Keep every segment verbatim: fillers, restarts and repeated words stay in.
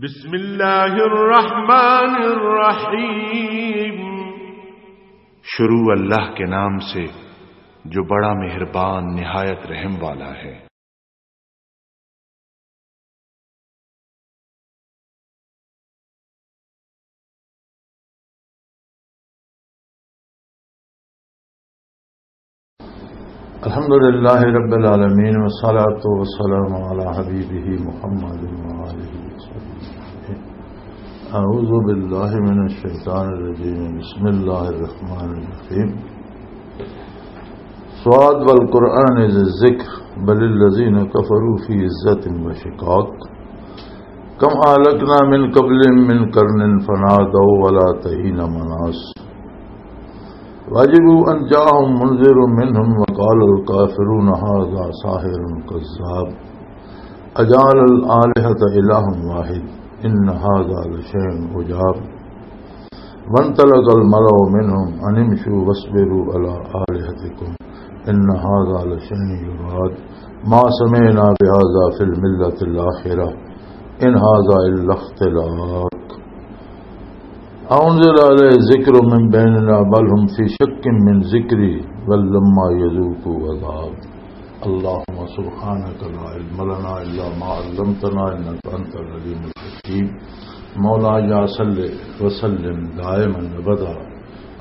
بسم اللہ الرحمن الرحیم۔ شروع اللہ کے نام سے، جو بڑا مہربان، نہایت رحم والا ہے۔ الحمد لله رب العالمين، والصلاة والسلام على حبيبه محمد وآله وصحبه أجمعين. أعوذ بالله من الشيطان الرجيم. بسم الله الرحمن الرحيم. صاد والقرآن ذي الذكر، بل الذين كفروا في عزة وشقاق. كم أهلكنا من قبلهم من قرن فنادوا ولا تهين مناص. وعجبوا أن جاءهم منذر منهم وقال الكافرون هذا ساحر كذاب. أجعل الآلهة إلها واحد إن هذا لشيء عجاب. وانطلق الملأ منهم أن امشوا واصبروا على آلهتكم إن هذا لشيء يراد. ما سمعنا بهذا في الملة الآخرة إن هذا إلا اختلاق. أأنزل عليه الذكر من بيننا بل هم في شك من ذكري بل لما يذوقوا عذاب. اللهم سبحانك لا علم لنا إلا ما علمتنا إنك أنت العليم الحكيم. مولاي صل وسلم دائما أبدا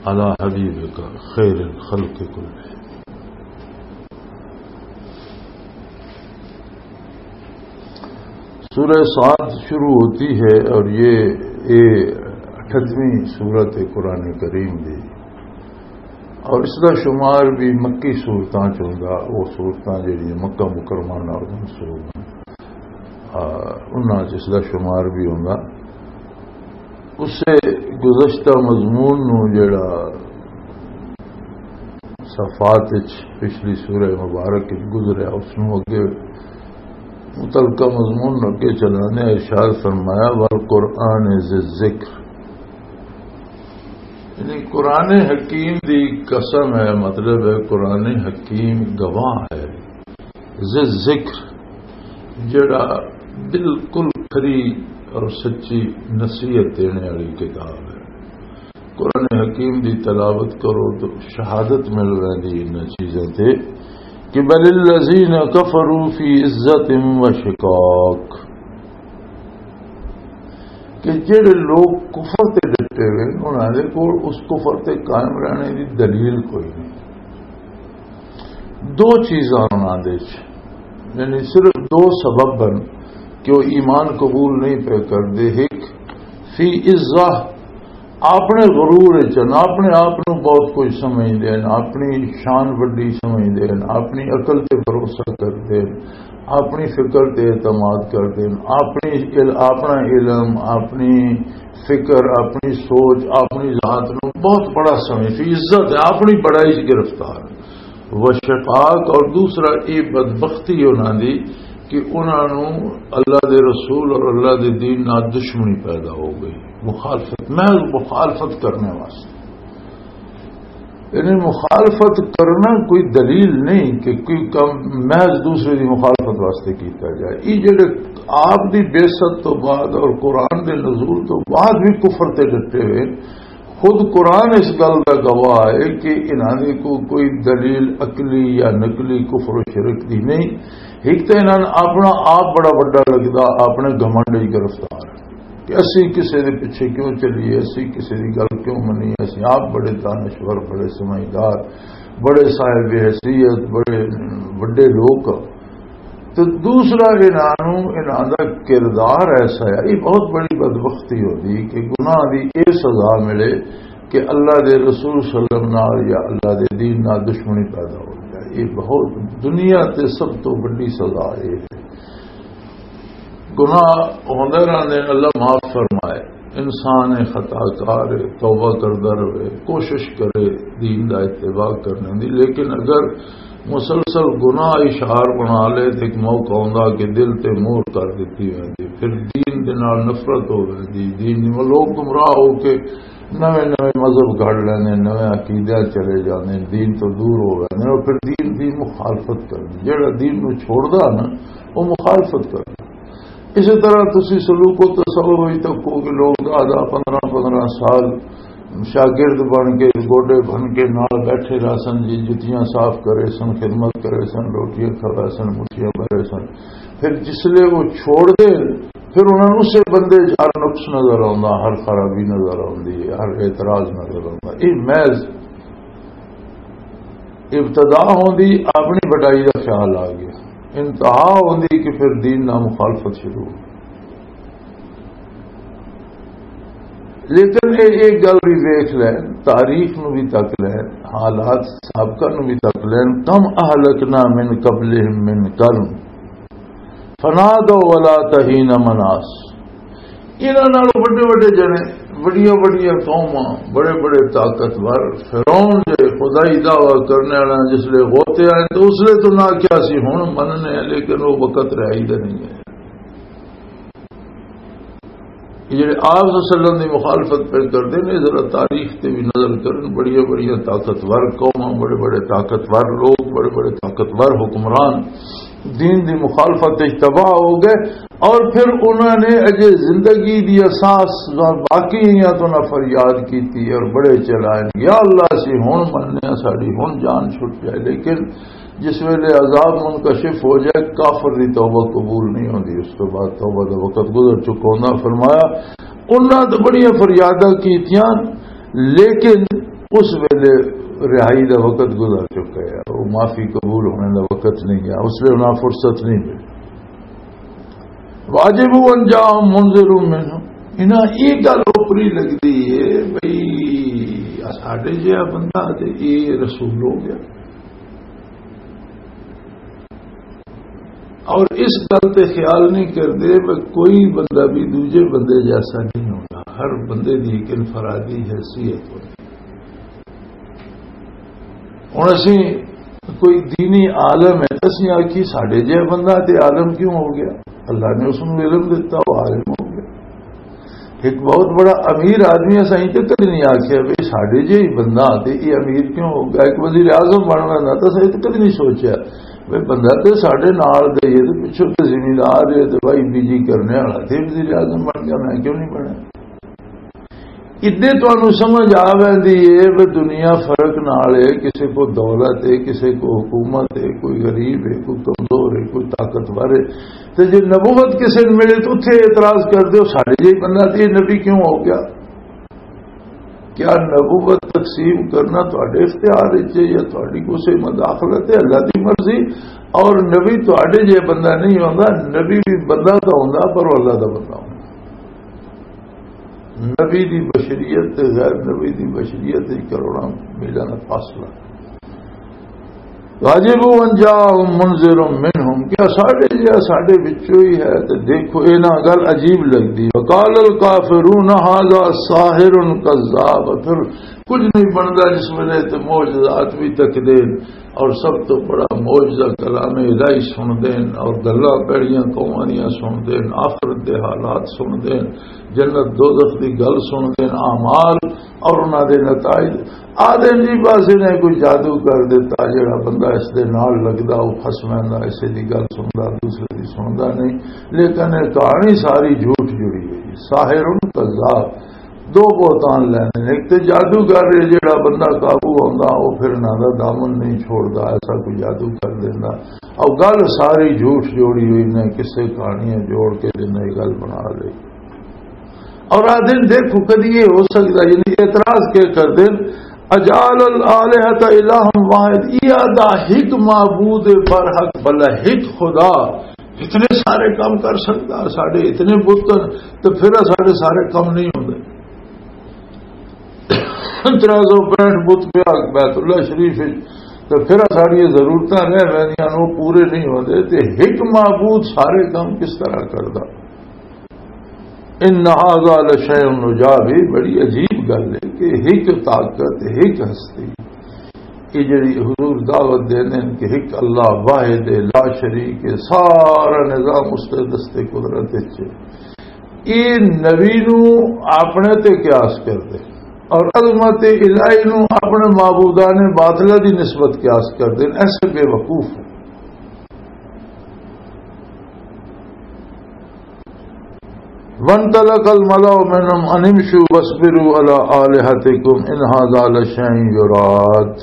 على حبيبك خير الخلق كلهم. سورہ صاد شروع ہوتی ہے اور یہ، یہ اٹھتویں سورت ہے قرآن کریم دی، اور اس دا شمار بھی مکی سورتاں چ ہوندا، وہ سورتاں جڑیاں مکہ مکرمہ نال منسوب ہیں، آ، انہاں چ اس دا شمار بھی ہوندا۔ اسے گزشتہ مضمون نو جڑا صفات وچ پچھلی سورہ مبارک وچ گزریا، اس نو اگے متعلقہ مضمون نو اگے چلانے ارشاد فرمایا، "والقرآن ذی الذکر"، یعنی قرآن حکیم دی قسم ہے، مطلب ہے قرآن حکیم گواہ ہے، ذی الذکر، جڑا بالکل کھری اور سچی نصیحت دینے والی کتاب ہے۔ قرآن حکیم دی تلاوت کرو تو شہادت مل ویندی انہاں چیزاں تے کہ بل الذین کفروا فی عزت و شقاق، کہ جڑے لوگ کفر تے ڈٹے ہوئے انہاں دے کول اس کفر تے قائم رہنے دی دلیل کوئی نہیں۔ دو چیزاں انہاں دے وچ، یعنی صرف دو سبب ہن کہ وہ ایمان قبول نہیں پہ کردے۔ ایک، فی عزہ، اپنے غرور وچ ہن، اپنے آپ نو بہت کچھ سمجھدے ہن، اپنی شان وڈی سمجھدے ہن، اپنی عقل تے بھروسہ کردے ہن، اپنی فکر تے اعتماد کردے ہن، اپنی عل-، اپنا علم، اپنی فکر، اپنی سوچ، اپنی ذات نو بہت بڑا سمجھ، فی عزت ہے، اپنی بڑائی چ گرفتار۔ وشقاق، اور دوسرا یہ بدبختی انہاں دی کہ انہاں نو اللہ دے رسول اور اللہ دے دین نال دشمنی پیدا ہو گئی، مخالفت، محض مخالفت کرنے واسطے۔ یعنی مخالفت کرنا کوئی دلیل نہیں کہ کوئی کام محض دوسرے دی مخالفت واسطے کیتا جائے۔ یہ جڑے آپ دی بعثت تو بعد اور قرآن دے نزول تو بعد بھی کفر تے ڈٹے ہوئے، خود قرآن اس گل دا گواہ ہے کہ انہاں دے کو کوئی دلیل عقلی یا نقلی کفر و شرک دی نہیں۔ ایک تو انہاں نے اپنا آپ بڑا وڈا لگدا، اپنے گھمنڈ وچ گرفتار کہ اسی کسے دے پیچھے کیوں چلیے، اسی کسے دی گل کیوں منیے، اسی آپ بڑے دانشور، بڑے سمجھدار، بڑے صاحب حیثیت، بڑے وڈے لوگ۔ تو دوسرا انہاں نوں، انہاں دا کردار ایسا ہے، یہ بہت بڑی بدبختی ہوندی کہ گناہ دی یہ سزا ملے کہ اللہ دے رسول صلی اللہ علیہ وسلم نال یا اللہ دے دین نال دشمنی پیدا ہو جائے۔ یہ بہت، دنیا تے سب تو بڑی سزا یہ ہے۔ گناہ ہوندے رہندے، اللہ معاف فرمائے۔ انسان خطا کار ہے، توبہ کردا رہے، کوشش کرے دین دا اتباع کرنے دی، لیکن اگر مسلسل گناہ اشعار بنا لے تے ایک موقع ہوندا کہ دل تے مور کر دتی ویندی، پھر دین دے نال نفرت ہو ویندی، دین دی، لوگ گمراہ ہو کے نویں نویں مذہب گھڑ لیندے، نویں عقیدے چلے جاندے، دین تو دور ہو ویندے اور پھر دین دی مخالفت کردے۔ جڑا دین نو چھوڑدا نا، وہ مخالفت کردا۔ اسی طرح تسی سلوک و تصور وچ تکو کہ لوگ دہ دہ پندرہ پندرہ سال شاگرد بن کے، گوڈے بن کے نال بیٹھے رہسن جی، جتیاں صاف کرے سن، خدمت کرے سن، روٹیاں کھوے سن، مٹھیاں بھرے سن۔ پھر جس لے وہ چھوڑ دے، پھر انہاں نوں اسے بندے چ ہر نقص نظر آوندا، ہر خرابی نظر آوندی ہے، ہر اعتراض نظر آوندا۔ یہ محض ابتدا ہوندی، اپنی بڑائی دا خیال آ گیا، انتہا ہوندی کہ پھر دین نال مخالفت شروع ہو۔ لیکن یہ ایک گل بھی ویکھ لین، تاریخ نو بھی تک لین، حالات سابقہ نو بھی تک لین، کم اہلکنا من قبلہم من قرن فنادوا ولا تہین مناس۔ انہاں نال وڈے وڈے جنے، وڈیاں وڈیاں قوماں، بڑے بڑے طاقتور، فرعون جے خدائی دعویٰ کرنے والا جس لے غوطے آئے تو اس لے تو نہ کیا سی، ہن مننے ہیں، لیکن وہ وقت رہائی دا نہیں ہے۔ یہ جڑے آپ صلی اللہ علیہ وسلم دی مخالفت پہ کردے نے، ذرا تاریخ تے بھی نظر کرن، بڑیاں بڑیاں طاقتور قوماں، بڑے بڑے طاقتور لوگ، بڑے بڑے طاقتور حکمران دین دی مخالفت وچ تباہ ہو گئے، اور پھر انہاں نے اجے زندگی دی اساس باقی ہیں تو نہ فریاد کیتی اور بڑے چلائے، یا اللہ، اسی ہن مننے آں، ساڈی ہن جان چھٹ جائے۔ لیکن جس ویلے عذاب منکشف ہو جائے، کافر دی توبہ قبول نہیں ہوندی، اس تو بعد توبہ دا وقت گزر چکا ہوندا۔ فرمایا، انہاں تو بڑیاں فریاداں کیتیاں، لیکن اس ویلے رہائی دا وقت گزر چکا ہے، وہ معافی قبول ہونے دا وقت نہیں گیا، اس لیے انہاں فرصت نہیں ملی۔ واجب ان جاء منذر منهم۔ انہاں یہ گل اوپری لگدی ہے بھئی، ساڈے جہا بندہ تے یہ رسول ہو گیا۔ اور اس گل تے خیال نہیں کردے کہ کوئی بندہ بھی دوجے بندے جیسا نہیں ہوتا، ہر بندے دی ایک انفرادی حیثیت ہوتی۔ ہن اسی کوئی دینی عالم ہے، اسی آکھی ساڈے جہا بندہ تے عالم کیوں ہو گیا؟ اللہ نے اس نوں علم دتا، وہ عالم ہو گیا۔ ایک بہت بڑا امیر آدمی، اساں تے کدی نہیں آکھیا بھی ساڈے جہا ہی بندہ تے یہ امیر کیوں ہو گیا۔ ایک وزیر اعظم بن رہا نا، تو اساں تے کدی نہیں سوچیا بھی بندہ تے ساڈے نال دے، یہ تے پچھوں تے زمیندار ہے، تے بھائی بیجی کرنے والا تے وزیر اعظم بن گیا، میں کیوں نہیں بنیا؟ ادے تانوں سمجھ آ ویندی ہے بھی دنیا فرق نال ہے، کسے کو دولت ہے، کسے کو حکومت ہے، کوئی غریب ہے، کوئی کمزور ہے، کوئی طاقتور ہے۔ تے جے نبوت کسے نوں ملے تو اتھے اعتراض کر دیو، ساڈے جہی بندہ تے یہ نبی کیوں ہو گیا؟ کیا نبوت تقسیم کرنا تہاڈے اختیار وچ ہے یا تہاڈی کسے مداخلت ہے؟ اللہ دی مرضی۔ اور نبی تہاڈے جہا بندہ نہیں ہوندا، نبی بھی بندہ تو ہوندا پر وہ اللہ دا بندہ ہوندا۔ نبی دی بشریت تے غیر نبی دی بشریت وچ کروڑاں میلاں دا فاصلہ۔ واجب ان جاء منذر منهم، کیا ساڈے جہا ساڈے وچوں ہی ہے؟ تے دیکھو، انہاں گل عجیب لگدی۔ وقال الکافرون هذا ساحر کذاب۔ پھر کچھ نہیں بندا جس ویلے تے معجزات بھی تکدے اور سب تو بڑا معجزہ کلام الہی سن دین اور گلاں پیڑیاں قوماں دیاں سن دین، آخرت دے حالات سن دین، جنت دوزخ دی گل سن دین، اعمال اور انہاں دے نتائج۔ آدھے جی بس انہیں کوئی جادو کر دیتا، جڑا بندہ اس دے نال لگدا، وہ خسمیں دا اسے دی گل سندا، دوسرے دی سندا نہیں۔ لیکن یہ کہانی ساری جھوٹ جڑی ہوئی ہے۔ ساحر کذاب، دو بہتان لینے نے۔ ایک تے جادوگر ہے، جڑا بندہ قابو ہوندا، وہ پھر انہاں دا دامن نہیں چھوڑدا، ایسا کوئی جادو کر دیندا۔ اور گل ساری جھوٹ جوڑی ہوئی نے، کسے کہانیاں جوڑ کے جنہیں گل بنا لئی۔ اور آ دن دیکھو، کدی یہ ہو سکتا، یعنی اعتراض کے کر دین، اجعل الآلہۃ الہا واحد، یہ آدھا ہک معبود برحق، بھلا ہک خدا اتنے سارے کام کر سکتا؟ ساڈے اتنے بت ہن، تو پھر ساڈے سارے کام نہیں ہوندے۔ ترے سو پینٹھ بت پیا بیت اللہ شریف وچ، تو پھر ساڈیاں ضرورتاں رہ ویندیاں نے، وہ پورے نہیں ہوندے۔ تے ہک معبود سارے کام کس طرح کردا؟ ان هذا لشيء عجاب، یہ بڑی عجیب گل ہے کہ ایک طاقت، ایک ہستی، یہ جڑی حضور دعوت دیندے ہیں کہ ایک اللہ واحد ہے، لا شریک ہے، سارا نظام اس کے دستے قدرت وچ ہے۔ یہ نبی نو اپنے تے قیاس کر دے اور عظمت الہی نو اپنے معبودان باطلہ دی نسبت قیاس کر دے، ایسے بے وقوف ہیں۔ وانطلق الملأ منهم ان امشوا واصبروا على آلهتكم ان هذا لشيء يراد۔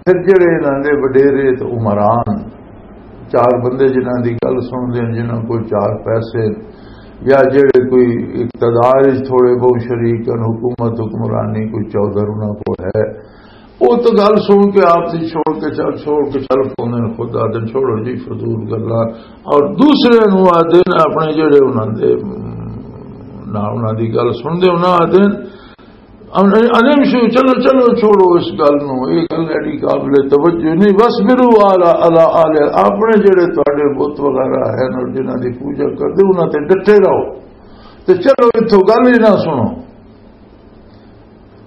پھر جڑے انہاں دے وڈیرے تے عمران، چار بندے جنہاں دی گل سن دے، جنہاں کول چار پیسے، یا جڑے کوئی اقتدار وچ تھوڑے بہت شریک ہن، حکومت حکمرانی کوئی چودھر انہاں کول ہے، او تو گل سن کے آپ دی چھوڑ کے چل، چھوڑ کے چل پوندے نے، خود آدھے چھوڑو جی فضول گلاں۔ اور دوسرے نوں آدھے نے اپنے جڑے انہاں دے، نہ انہاں دی گل سن دے، انہاں آدھے نے، ان-، انہم شو، چلو، چلو، چھوڑو اس گل نوں، یہ گل ایڈی قابل توجہ نہیں۔ وَاصْبِرُوا عَلَى، عَلَى آلِهَتِكُمْ، اپنے جڑے تواڈے بت وغیرہ ہیں اور جنہاں دی پوجا کردے، انہاں تے ڈٹے رہو، تے چلو اتھوں گل ہی نہ سنو۔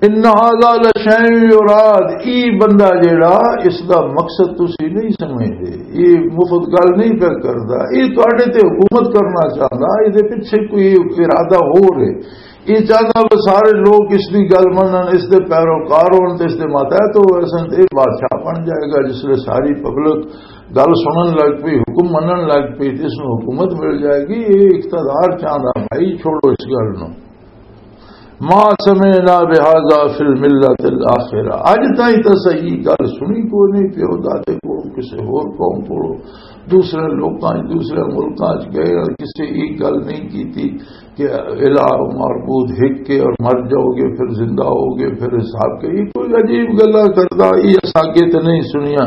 ان هذا لشيء يراد، ای بندہ جیڑا، اس دا مقصد تسی نہیں سمجھدے، یہ مفت گل نہیں پیا کردا، یہ تواڈے تے حکومت کرنا چاہندا، یہ دے پیچھے کوئی ارادہ ہو رہے۔ یہ چاہندا بس سارے لوگ اس دی گل منن، اس دے پیروکار ہون تے اس دے ماتحت ہو ویسن، تے یہ بادشاہ بن جائے گا۔ جس لے ساری پبلک گل سنن لگ پئی، حکم منن لگ پئی، تے اس نوں حکومت مل جائے گی۔ یہ اقتدار چاہندا، بھائی چھوڑو اس گل نوں۔ ما سمعنا بهذا في الملة الآخرة۔ اج تائیں تے صحیح گل سنی کوئی نہیں، پیو دادے کولوں، کسے ہور قوم کولوں، دوسرے لوکاں وچ، دوسرے ملکاں وچ گئے اور کسے ایک گل نہیں کیتی کہ الہ معبود ہک کے اور مر جاؤ گے، پھر زندہ ہو گے، پھر حساب کے۔ یہ کوئی عجیب گلاں کردا، یہ اساں اگے تے نہیں سنیا۔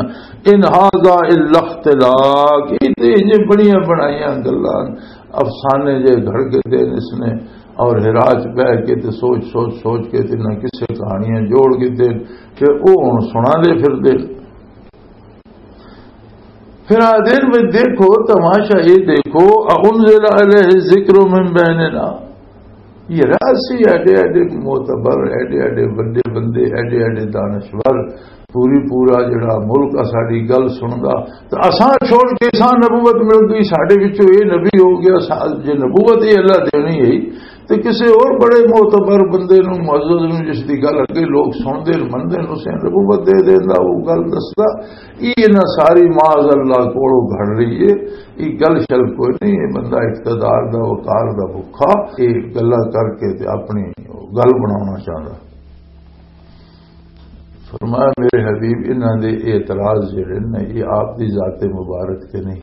ان هذا الا اختلاق، یہ تے یہ بڑیاں بنائیاں گلاں، افسانے جے گھڑ کے دے اس نے۔ اور ہرا چ بہ کے تے سوچ سوچ سوچ کے تے نہ کسے کہانیاں جوڑ کے تے پھر او ہن سنا دے پھر دے۔ پھر آدھے نے، "دیکھو، تماشا یہ دیکھو، اَأُنزِلَ عَلَيْهِ الذِّكْرُ مِن بَيْنِنَا؟" یہ راسی ایڈے ایڈے معتبر، ایڈے ایڈے بڑے بندے، ایڈے ایڈے دانشور، پوری پورا جڑا ملک آ ساڈی گل سندا، تے اساں چھوڑ کے اساں نبوت مل گئی، ساڈے وچوں اے نبی ہو گیا، سا-، جے نبوت اے اللہ دینی ہے، تے کسے اور بڑے معتبر بندے نوں، معزز نوں، جس دی گل اگے لوگ سندے نے، مندے نے، اسے نبوت دے دیندا، وہ گل دسدا۔ یہ انہاں ساری معاذ اللہ کولوں گھڑ رہی ہے۔ یہ گل شل کوئی نہیں، یہ بندہ اقتدار دا، وقار دا بھکھا، یہ گلاں کر کے تے اپنی گل بناونا چاہندا۔ فرمایا، میرے حبیب، انہاں دے اعتراض جڑے نے، یہ آپ دی ذات مبارک تے نہیں۔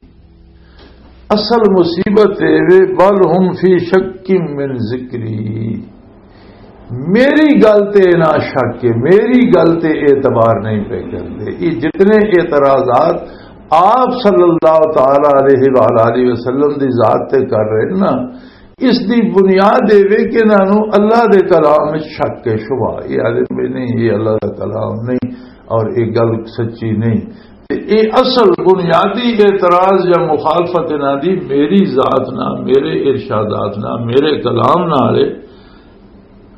اصل مصیبت اے وے، "بل هم فی شک من ذکری"، میری گل تے نہ شک ہے، میری گل تے اعتبار نہیں پہ کرتے۔ یہ جتنے اعتراضات آپ صلی اللہ تعالی علیہ وآلہ وسلم دی ذات تے کر رہے ہیں نا، اس دی بنیاد اے وے کہ انہاں نوں اللہ دے کلام وچ شک ہے، شبہ، یہ آدھے بھی نہیں، یہ اللہ دا کلام نہیں اور یہ گل سچی نہیں۔ تے یہ اصل بنیادی اعتراض یا مخالفت انہاں دی میری ذات نہ، میرے ارشادات نہ، میرے کلام نال ہے۔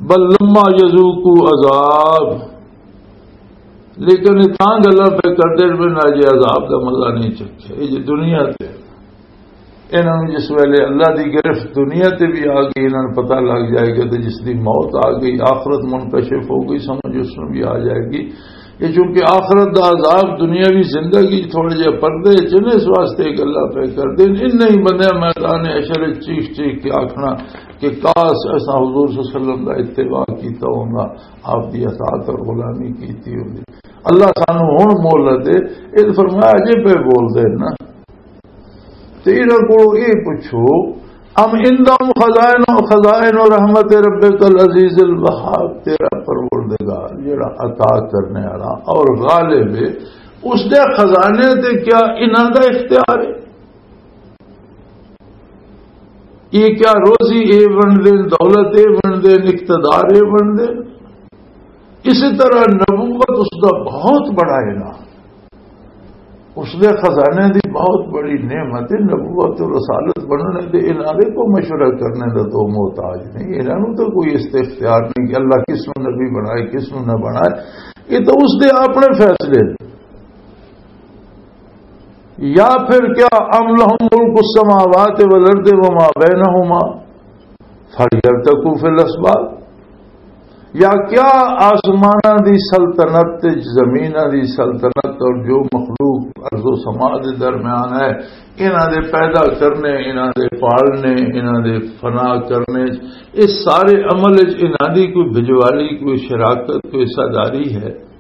بل لما یذوقوا عذاب، لیکن یہ تاں گلاں پہ کردے نے، نہ جے عذاب دا مزہ نہیں چکھیا۔ یہ جے دنیا تے انہاں نوں جس ویلے اللہ دی گرفت دنیا تے بھی آ گئی، انہاں نوں پتہ لگ جائے گا، تے جس دی موت آ گئی، آخرت منکشف ہو گئی، سمجھ اس نوں بھی آ جائے گی۔ یہ چونکہ آخرت دا عذاب دنیاوی زندگی تھوڑے جہے پردے چ نے، اس واسطے یہ گلاں پہ کردے نے۔ انہاں ہی بندیاں میدان حشر وچ چیخ چیخ کے آکھنا کہ کاش اساں حضور صلی اللہ علیہ وسلم دا اتباع کیتا ہوندا، آپ دی اطاعت اور غلامی کیتی ہوندی۔ اللہ سانوں ہن مہلت دے، یہ فرمایا جے پہ بول دے نا۔ تے انہاں کولوں اے پچھو، "ام عندهم خزائن، خزائن رحمت ربک العزیز الوہاب"، تیرا پروردگار جڑا عطا کرنے والا اور غالب ہے، اس دے خزانے تے کیا انہاں دا اختیار ہے؟ یہ کیا روزی اے بن دین، دولت اے بن دین، اقتدار اے بن دین؟ اسی طرح نبوت اس دا بہت بڑا انعام، اس دے خزانے دی بہت بڑی نعمت ہے۔ نبوت و رسالت بننے دے انہاں دے کوئی مشورہ کرنے دا تو محتاج نہیں، انہاں نوں تو کوئی اس تے اختیار نہیں کہ اللہ کس نوں نبی بنائے، کس نوں نہ بنائے۔ یہ تو اس دے اپنے فیصلے نے۔ یا پھر کیا، ام لہم ملک السماوات والارض وما بینہما فلیرتقوا فی الاسباب، یا کیا آسماناں دی سلطنت تے زمیناں دی سلطنت اور جو مخلوق ارض و سما دے درمیان ہے، انہاں دے پیدا کرنے، انہاں دے پالنے، انہاں دے فنا کرنے، اس سارے عمل وچ انہاں دی کوئی بجوالی، کوئی شراکت، کوئی حصہ داری ہے؟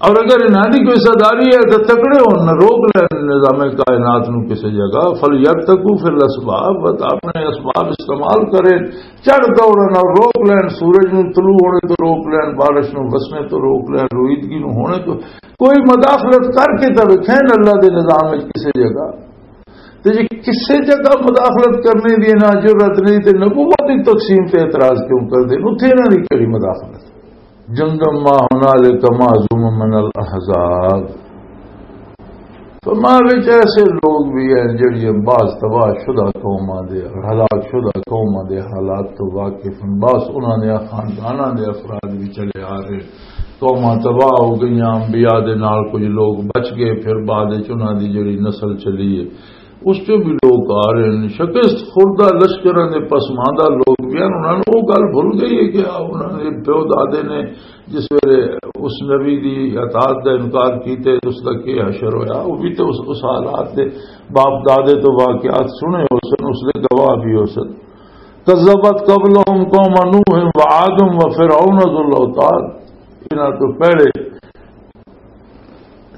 اور اگر انہاں دی کوئی حصہ داری ہے تو تکڑے ہون، روک لین نظام کائنات نو کسی جگہ، فَلْيَرْتَقُوا فِي الْأَسْبَابِ، بس اپنے اسباب استعمال کریں، چڑھ دوڑن اور روک لین، سورج نو طلوع ہونے تو روک لین، بارش نو وسنے تو روک لین، رویدگی نو ہونے تو، کوئی مداخلت کر کے تو ویکھیں اللہ دے نظام وچ کسی جگہ۔ تے جے کسے جگہ مداخلت کرنے دی نہ جرات نہیں تے نبوت دی تقسیم تے اعتراض کیوں کر دے؟ اتھے انہاں دی کیڑی مداخلت؟ جندم ما هنالک مهزوم من الاحزاب۔ فرمایا وچ ایسے لوگ بھی ہیں جڑیاں بعض تباہ شدہ قوماں دے اور ہلاک شدہ قوماں دے حالات تو واقف ہیں، بعض انہاں دے خانداناں دے افراد بھی چلے آ رہے ہیں۔ قوماں تباہ ہو گئیاں، انبیاء دے نال کچھ لوگ بچ گئے، پھر بعد وچ انہاں دی جڑی نسل چلی ہے، اس چوں بھی لوگ آ رہے ہیں۔ شکست خوردہ لشکراں دے پسماندہ لوگ بھی ہیں، انہاں نوں وہ گل بھل گئی ہے کہ آ، انہاں دے پیو دادے نے جس ویلے اس نبی دی اطاعت دا انکار کیتے تے اس دا کی حشر ہویا، وہ بھی تے اس، اس حالات دے باپ دادے تو واقعات سنے ہو سن، اس دے گواہ بھی ہو سن۔ کذبت قبلہم قوم نوح وعاد وفرعون ذو الاوتاد۔ انہاں تو پہلے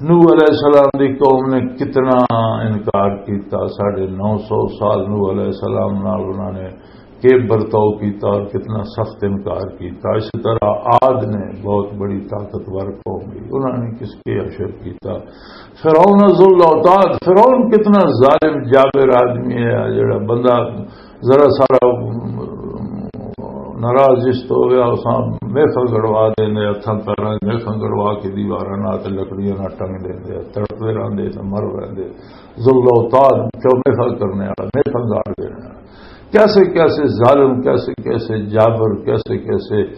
نوح علیہ السلام دی قوم نے کتنا انکار کیتا۔ ساڑھے نو سو سال نوح علیہ السلام نال انہوں نے کیب برتاؤ کیتا اور کتنا سخت انکار کیتا۔ اسی طرح عاد نے بہت بڑی طاقتور قوم تھی، انہوں نے کس کے حشر کیتا۔ فرعون ذو الاوتاد، فرعون کتنا ظالم جابر آدمی ہے، جڑا بندہ ذرا سارا ناراض جس تو ہو گیا، اساں میخاں گڑوا دیندے، ہتھاں پیراں میخاں گڑوا کے دیواراں نال تے لکڑیاں نال ٹنگ دیندے، تڑپدے رہندے تے مر رہندے۔ ذل اوتاد، چو میخاں کرنے والا، میخاں گاڑ دینے والا۔ کیسے کیسے ظالم، کیسے کیسے جابر، کیسے کیسے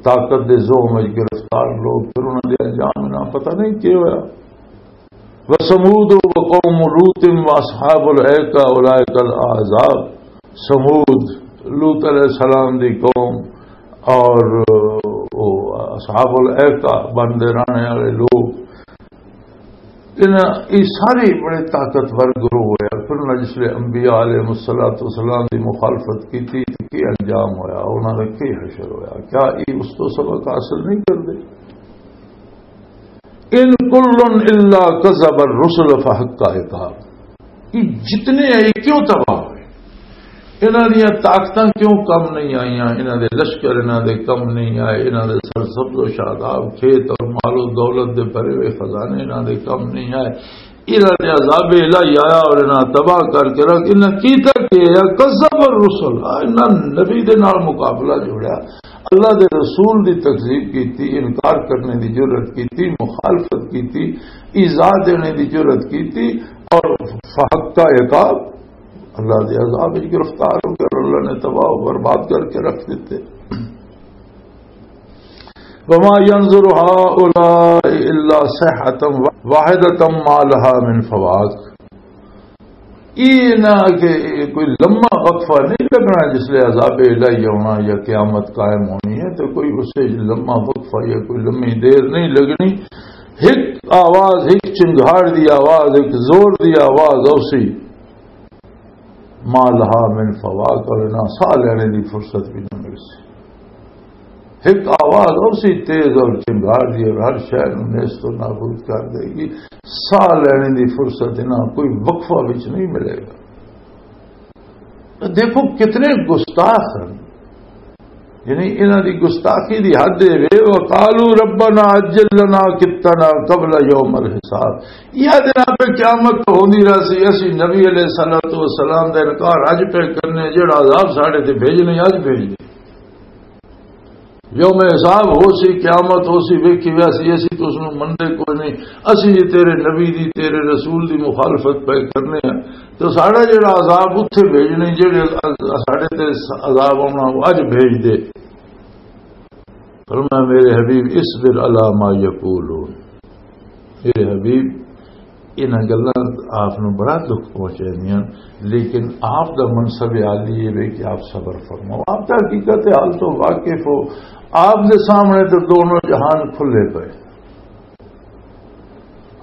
طاقت دے زوم وچ گرفتار لوگ، پھر انہاں دے انجام نہ پتہ نہیں کی ہویا۔ وَثَمُودُ وَقَوْمُ لُوطٍ وَأَصْحَابُ الْأَيْكَةِ أُولَٰئِكَ الْأَحْزَابُ۔ سمود، لوط علیہ السلام دی قوم، اور، او، اصحاب الایکہ، بندے رہنے والے لوگ، انہاں، یہ سارے بڑے طاقتور گروہ ہوئے۔ پھر انہاں جس لے انبیاء علیہ الصلوۃ والسلام دی مخالفت کی تھی، تو کی انجام ہویا؟ انہاں دا کی حشر ہویا؟ کیا یہ اس تو سبق حاصل نہیں کردے؟ ان کل الا کذب الرسل فحق عقاب۔ یہ جتنے ہیں، یہ کیوں تباہ ہوئے؟ انہاں دیاں طاقتاں کیوں کم نہیں آئیاں؟ انہاں دے لشکر انہاں دے کم نہیں آئے، انہاں دے سرسبز و شاداب کھیت اور مال و دولت دے بھرے ہوئے خزانے انہاں دے کم نہیں آئے۔ انہاں دے عذاب الہی آیا اور انہاں تباہ کر کے رکھ، انہاں کیتا کہ یا کذب الرسل، آ، انہاں نبی دے نال مقابلہ جوڑیا، اللہ دے رسول دی تکذیب کیتی، انکار کرنے دی جرات کیتی، مخالفت کیتی، ایذا دینے دی جرات کیتی، اور فحق کا عقاب، اللہ دے عذاب وچ گرفتار ہو گئے اور اللہ نے تباہ و برباد کر کے رکھ دیتے۔ وما ينظر هؤلاء الا صيحة واحدة ما لها من فواق۔ یہ نہ کہ کوئی لمحہ وقفہ نہیں لگنا جس لے عذاب الہی ہونا یا قیامت قائم ہونی ہے، تو کوئی اس سے لمحہ وقفہ یا کوئی لمحی دیر نہیں لگنی۔ ایک آواز، ایک چنگھاڑ دی آواز، ایک زور دی آواز اوسی، ما لہا من فواق، اور نہ ساہ لینے دی فرصت بھی نہ مل سی۔ ایک آواز اوسی تیز اور چنگھاڑ دی اور ہر شے نوں نیست و نابود کر دے گی۔ ساہ لینے دی فرصت انہاں کوئی وقفہ وچ نہیں ملے گا۔ تو دیکھو کتنے گستاخ ہیں، یعنی انہاں دی گستاخی دی حد ہے وے۔ وقالوا ربنا عجل لنا قطنا قبل یوم الحساب۔ یہ دن پہ قیامت تو ہوندی رہسی، اسی نبی علیہ الصلوۃ والسلام دا انکار اج پہ کرنے، جڑا عذاب ساڈے تے بھیجنے اج بھیج دے۔ یوم حساب ہو سی، قیامت ہو سی، ویکھی ویسی، اسی تو اس نوں مندے کوئی نہیں۔ اسی جی تیرے نبی دی، تیرے رسول دی مخالفت پہ کرنے ہیں، تو ساڈا جڑا عذاب اتھے بھیجنے، جڑے ساڈے تے عذاب آنا، وہ اج بھیج دے۔ فرمایا، میرے حبیب، اصبر علی ما یقولون، میرے حبیب، انہاں گلاں آپ نوں بڑا دکھ پہنچاندیاں، لیکن آپ دا منصب عالی یہ وے کہ آپ صبر فرماؤ۔ آپ دا حقیقت حال تو واقف ہو، آپ دے سامنے تو دونوں جہان کھلے پئے۔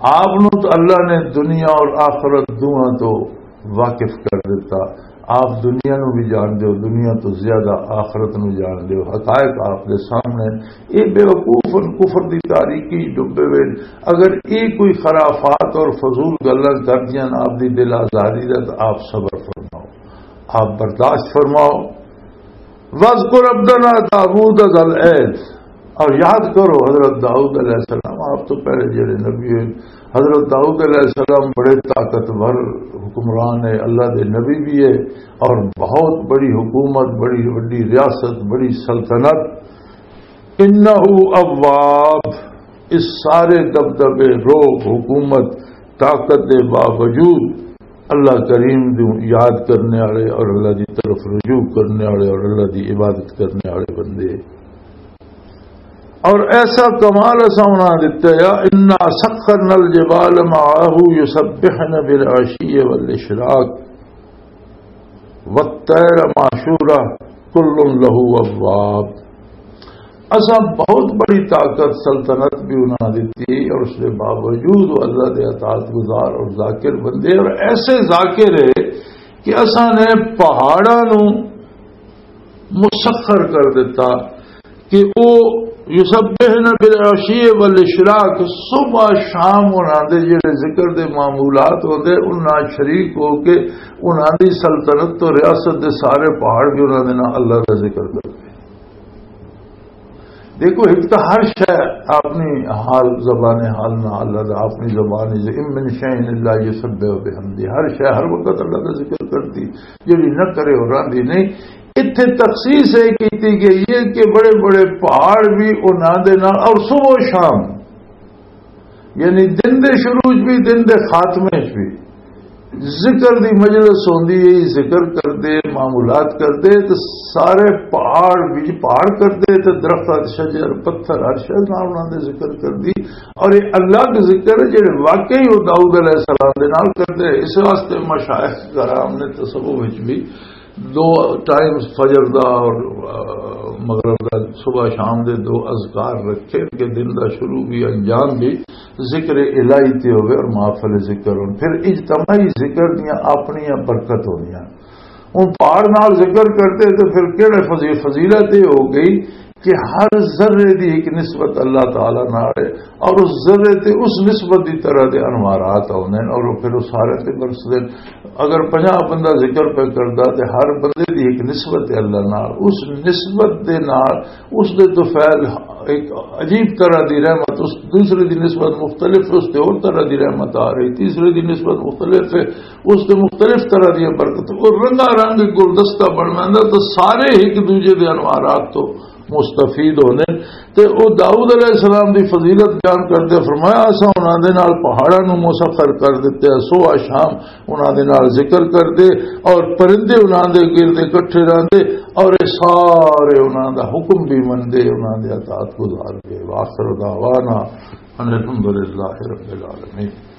آپ نوں تو اللہ نے دنیا اور آخرت دوواں تو واقف کر دیتا۔ آپ دنیا نوں بھی جان دیو، دنیا تو زیادہ آخرت نوں جان دیو۔ حقائق آپ دے سامنے، یہ بے وقوف ان کفر دی تاریکی ڈبے ہوئے۔ اگر یہ کوئی خرافات اور فضول گلاں کر دیاں آپ دی دل آزاری دا، تو آپ صبر فرماؤ، آپ برداشت فرماؤ۔ وَاذْكُرْ عَبْدَنَا دَاوُودَ ذَا الْأَيْدِ، اور یاد کرو حضرت داؤد علیہ السلام، آپ تو پہلے جڑے نبی ہوئے، حضرت داؤد علیہ السلام بڑے طاقتور حکمران ہے، اللہ دے نبی بھی ہے، اور بہت بڑی حکومت، بڑی بڑی ریاست، بڑی سلطنت۔ انہ اواب، اس سارے دبدبے، روب، حکومت، طاقت دے باوجود اللہ کریم نوں یاد کرنے والے اور اللہ دی طرف رجوع کرنے والے اور اللہ دی عبادت کرنے والے بندے۔ اور ایسا کمال اساں انہاں دتا ہے، انا سخرنا الجبال معه يسبحن بالعشي والاشراق والطير محشورة كل له أواب۔ اساں بہت بڑی طاقت، سلطنت بھی انہاں دتی، اور اس دے باوجود وہ اللہ دے اطاعت گزار اور ذاکر بندے، اور ایسے ذاکر ہے کہ اساں نے پہاڑاں نوں مسخر کر دیتا کہ او یسبحن بالعشی والاشراق، صبح شام انہاں دے جڑے ذکر دے معمولات ہوندے، انہاں شریک ہو کے انہاں دی سلطنت تو ریاست دے سارے پہاڑ بھی انہاں دے نال اللہ دا ذکر کردے۔ دیکھو، ایک تو ہر شے اپنی حال، زبان حال نہ اللہ دا، اپنی زبان ہے، "ان من شیء الا یسبح بحمدہ"، ہر شے ہر وقت اللہ دا ذکر کرتی، جڑی نہ کرے اور راندی نہیں۔ اتھے تخصیص یہ کیتی گئی ہے کہ بڑے بڑے پہاڑ بھی انہاں دے نال، اور صبح و شام، یعنی دن دے شروع چ بھی، دن دے خاتمے چ بھی ذکر دی مجلس ہوندی ہے، ذکر کردے، معمولات کردے، تے سارے پہاڑ بھی پہاڑ کردے، تے درخت، شجر، پتھر، ہر شے نال انہاں دے ذکر کردی۔ اور یہ الگ ذکر ہے جڑے واقعی وہ داؤد علیہ السلام دے نال کردے۔ اس واسطے مشائخ کرام نے تصوف وچ بھی دو ٹائم فجر دا اور، آ، مغرب دا، صبح شام دے دو اذکار رکھے کہ دن دا شروع بھی، انجام بھی ذکر الہی تے ہوئے اور محفل ذکر ہون۔ پھر اجتماعی ذکر دیاں اپنیاں برکت ہوندیاں۔ ہن پہاڑ نال ذکر کرتے تو پھر کہڑے فضی-، فضیلت یہ ہو گئی کہ ہر ذرے دی ایک نسبت اللہ تعالیٰ نال ہے، اور اس ذرے تے اس نسبت دی طرح دے انوارات آوندے نے، اور وہ پھر وہ سارے تے برسدے نے۔ اگر پنجاہ بندہ ذکر پہ کردا تے ہر بندے دی ایک نسبت ہے اللہ نال، اس نسبت دے نال اس دے تو فعل ایک عجیب طرح دی رحمت، اس دوسرے دی نسبت مختلف ہے، اس تے اور طرح دی رحمت آ رہی، تیسرے دی نسبت مختلف ہے، اس تے مختلف طرح دی برکت، اور رنگا رنگ گلدستہ بن ویندا، تو سارے ایک دوجے دے انوارات تو مستفید ہوندے نے۔ تے او داؤد علیہ السلام دی فضیلت بیان کردے فرمایا، "اساں انہاں دے نال پہاڑاں نوں مسخر کر دتے، سوہ شام انہاں دے نال ذکر کردے، اور پرندے انہاں دے گرد اکٹھے رہندے، اور اے سارے انہاں دا حکم بھی مندے، انہاں دے اطاعت گزار دے۔" وآخر دعوانا ان الحمد للہ رب العالمین۔